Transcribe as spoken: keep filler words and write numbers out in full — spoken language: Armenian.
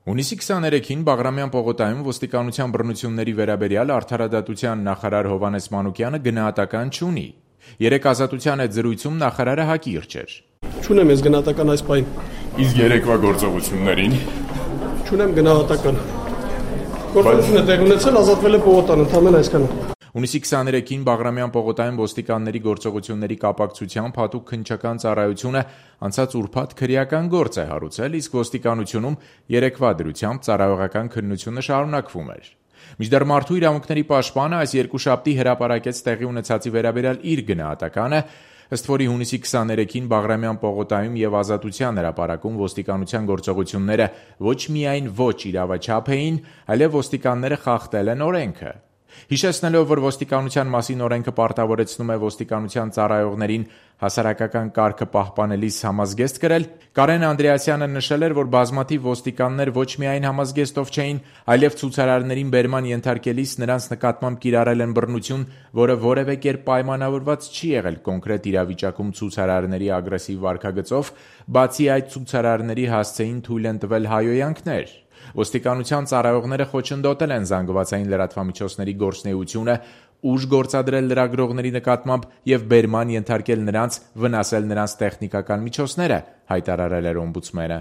Հունիսի քսաներեքին Բաղրամյան պողոտայում ոստիկանության բռնությունների վերաբերյալ արդարադատության նախարար Հովհաննես Մանուկյանը գնահատական չունի։ Երեկ Ազատության հետ զրույցում նախարարը հակիրճ էր։ Չունեմ ես գնահատական այս պահին։ Իսկ երեկվա գործողություններին չունեմ գնահատական։ Գործողությունը տեղի ունեցել, ազատվել է պողոտան, ընդամենը այսքանը։ Հունիսի քսաներեքին Բաղրամյան պողոտայում ոստիկանների գործողությունների կապակցությամբ հատուկ քննչական ծառայությունը անցած ուրբաթ քրեական գործ է հարուցել, իսկ ոստիկանությունում երեկվա դրությամբ ծառայողական քննությունը շարունակվում էր։ Մինչդեռ Մարդու իրավունքների պաշտպանը այս երկուշաբթի հրապարակեց տեղի ունեցածի վերաբերյալ իր գնահատականը, ըստ որի հունիսի քսաներեքին Բաղրամյան պողոտայում եւ Ազատության հրապարակում ոստիկանության գործողությունները ոչ միայն ոչ իրավաչափ էին, այլև ոստիկանները խախտել են օրենքը։ Հիշեցնելով, որ ոստիկանության մասին օրենքը պարտավորեցնում է ոստիկանության ծառայողներին հասարակական կարգը պահպանելիս համազգեստ կրել, Կարեն Անդրեասյանը նշել էր, որ բազմաթիվ ոստիկաններ ոչ միայն համազգեստով չէին, այլև ցուցարարներին բերման ենթարկելիս նրանց նկատմամբ կիրառել են բռնություն, որը որևէ կերպ պայմանավորված չի եղել կոնկրետ իրավիճակում ցուցարարների ագրեսիվ վարքագծով, բացի այդ ցուցարարների հասցեին թույլ են տվել հայհոյանքներ։ Ոստիկանության ծառայողները խոչընդոտել են զանգվածային լրատվամիջոցների գործունեությունը, ուժ գործադրել լրագրողների նկատմամբ եւ բերման ենթարկել նրանց, վնասել նրանց տեխնիկական միջոցները, հայտարարել էր օմբուդսմենը։